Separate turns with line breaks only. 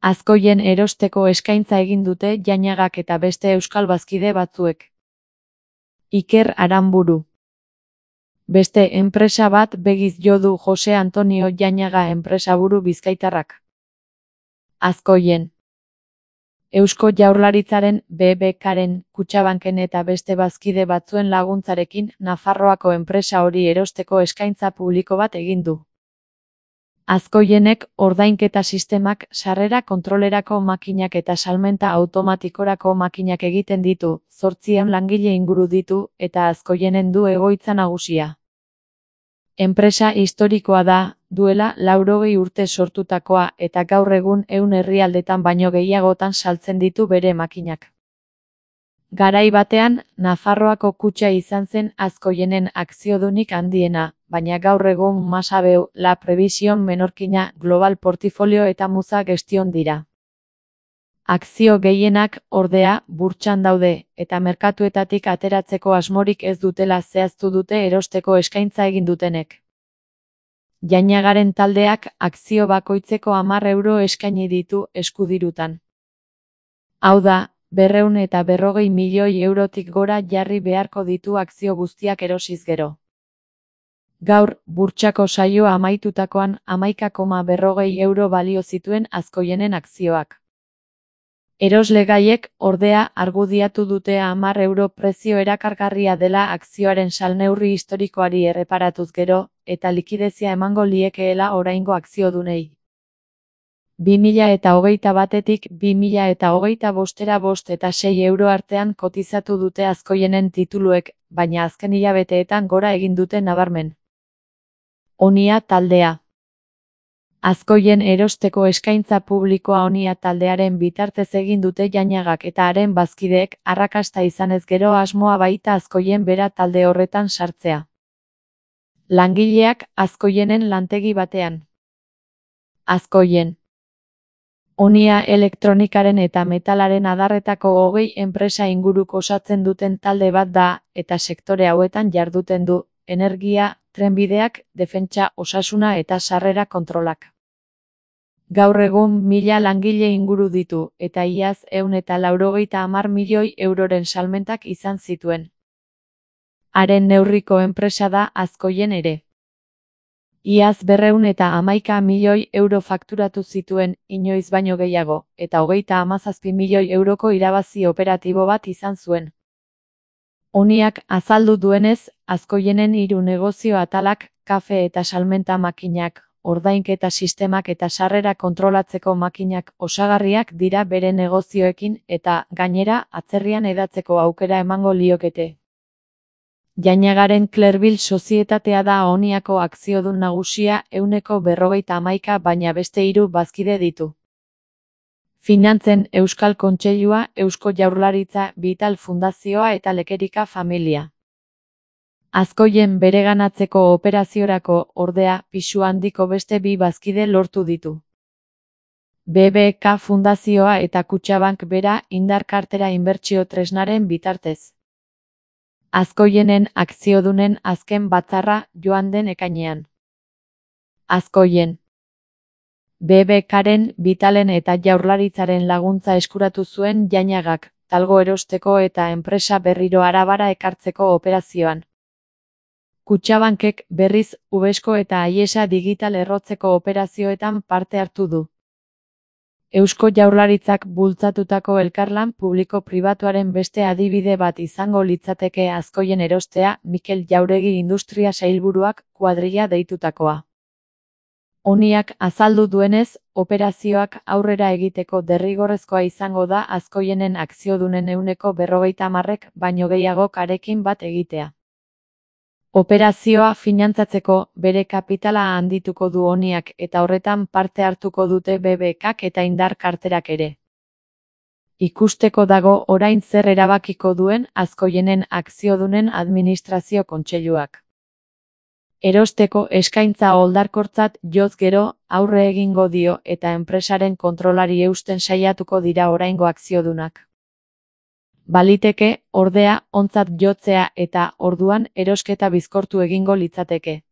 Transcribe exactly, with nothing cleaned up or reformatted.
Azkoien erosteko eskaintza egin dute Jañagak eta beste euskal bazkide batzuek. Iker Aranburu. Beste enpresa bat begiz jo du Jose Antonio Jañaga enpresaburu bizkaitarrak. Azkoien. Eusko Jaurlaritzaren, B B K-ren, Kutxabanken eta beste bazkide batzuen laguntzarekin Nafarroako enpresa hori erosteko eskaintza publiko bat egin du. Azkoienek ordainketa sistemak, sarrera kontrolerako makinak eta salmenta automatikorako makinak egiten ditu, zortziehun langile inguru ditu eta Azkoienen du egoitza nagusia. Enpresa historikoa da, duela laurogei urte sortutakoa eta gaur egun ehun herrialdetan baino gehiagotan saltzen ditu bere makinak. Garai batean, Nafarroako kutxa izan zen Azkoienen akziodunik handiena, baina gaur egun Masabeu, La Previsión Menorquina, Global Portfolio eta Muza Gestion dira. Akzio gehienak, ordea, burtsan daude, eta merkatuetatik ateratzeko asmorik ez dutela zehaztu dute erosteko eskaintza egin dutenek. Jañagaren taldeak akzio bakoitzeko hamar euro eskaini ditu eskudirutan. Hau da, berrehun eta berrogei milioi eurotik gora jarri beharko ditu akzio guztiak erosiz gero. Gaur, burtsako saioa amaitutakoan hamaika koma berrogei euro balio zituen Azkoienen akzioak. Eroslegaiek, ordea, argudiatu dute hamar euro prezio erakargarria dela akzioaren salneurri historikoari erreparatuz gero, eta likidezia emango liekeela oraingo akziodunei. bi mila eta hogeita batetik bi mila eta hogeita bostera bost eta sei euro artean kotizatu dute Azkoienen tituluek, baina azken hilabeteetan gora egin dute nabarmen. Onia taldea. Azkoien erosteko eskaintza publikoa Onia taldearen bitartez egin dute Jañagak eta haren bazkideek arrakasta izanez gero asmoa baita Azkoien bera talde horretan sartzea. Langileak Azkoienen lantegi batean. Azkoien. Onia elektronikaren eta metalaren adarretako hogei enpresa inguruk osatzen duten talde bat da, eta sektore hauetan jarduten du, energia, trenbideak, defentsa, osasuna eta sarrera kontrolak. Gaur egun mila langile inguru ditu, eta iaz ehun eta laurogeita hamar milioi euroren salmentak izan zituen. Haren neurriko enpresa da Azkoien ere. Iaz berrehun eta hamaika milioi euro fakturatu zituen, inoiz baino gehiago, eta hogeita hamazazpi milioi euroko irabazi operatibo bat izan zuen. Oniak azaldu duenez, Azkoienen hiru negozio atalak, kafe eta salmenta makinak, ordainketa sistemak eta sarrera kontrolatzeko makinak osagarriak dira bere negozioekin eta, gainera, atzerrian hedatzeko aukera emango liokete. Jañagaren Clerville sozietatea da Oniako akziodun nagusia ehuneko berrogeita hamaika baina beste hiru bazkide ditu. Finantzen Euskal Kontseilua, Eusko Jaurlaritza, Vital Fundazioa eta Lekerika familia. Azkoien bereganatzeko operaziorako, ordea, pisu handiko beste bi bazkide lortu ditu. B B K Fundazioa eta Kutxabank bera indar kartera inbertsio tresnaren bitartez. Azkoienen akziodunen azken batzarra joan den ekainean. Azkoien. B B K-ren, Vitalen eta Jaurlaritzaren laguntza eskuratu zuen Jañagak, talgo erosteko eta enpresa berriro Arabara ekartzeko operazioan. Kutxabankek, berriz, Ubesko eta Aiesa digital errotzeko operazioetan parte hartu du. Eusko Jaurlaritzak bultzatutako elkarlan publiko-pribatuaren beste adibide bat izango litzateke Azkoien erostea, Mikel Jauregi Industria Sailburuak kuadrilla deitutakoa. Oniak azaldu duenez, operazioak aurrera egiteko derrigorrezkoa izango da Azkoienen akziodunen ehuneko berrogeita hamarrek baino gehiago karekin bat egitea. Operazioa finantzatzeko bere kapitala handituko du Oniak eta horretan parte hartuko dute B B K-k eta indar karterak ere. Ikusteko dago orain zer erabakiko duen Azkoienen akziodunen administrazio kontseiluak. Erosteko eskaintza oldarkortzat joz gero aurre egingo dio eta enpresaren kontrolari eusten saiatuko dira oraingo akziodunak. Baliteke, ordea, ontzat jotzea eta, orduan, erosketa bizkortu egingo litzateke.